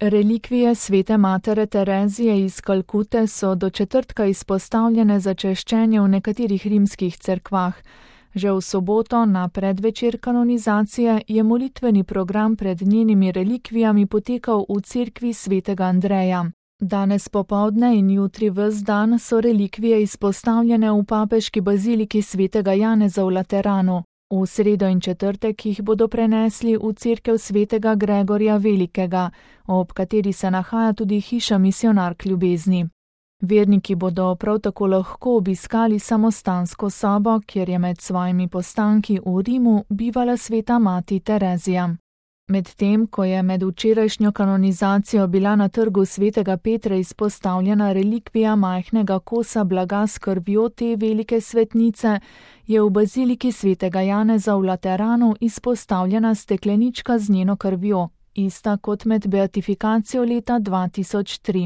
Relikvije svete matere Terezije iz Kalkute so do četrtka izpostavljene za češčenje v nekaterih rimskih cerkvah. Že v soboto, na predvečer kanonizacije, je molitveni program pred njenimi relikvijami potekal v cerkvi svetega Andreja. Danes popoldne in jutri ves dan so relikvije izpostavljene v papeški baziliki svetega Janeza v Lateranu. V sredo in četrtek jih bodo prenesli v cerkev svetega Gregorja Velikega, ob kateri se nahaja tudi hiša Misionark ljubezni. Verniki bodo prav tako lahko obiskali samostansko sobo, kjer je med svojimi postanki v Rimu bivala sveta mati Terezija. Medtem, ko je med včerajšnjo kanonizacijo bila na trgu svetega Petra izpostavljena relikvija majhnega kosa blaga s krvjo te velike svetnice, je v baziliki svetega Janeza v Lateranu izpostavljena steklenička z njeno krvjo, ista kot med beatifikacijo leta 2003.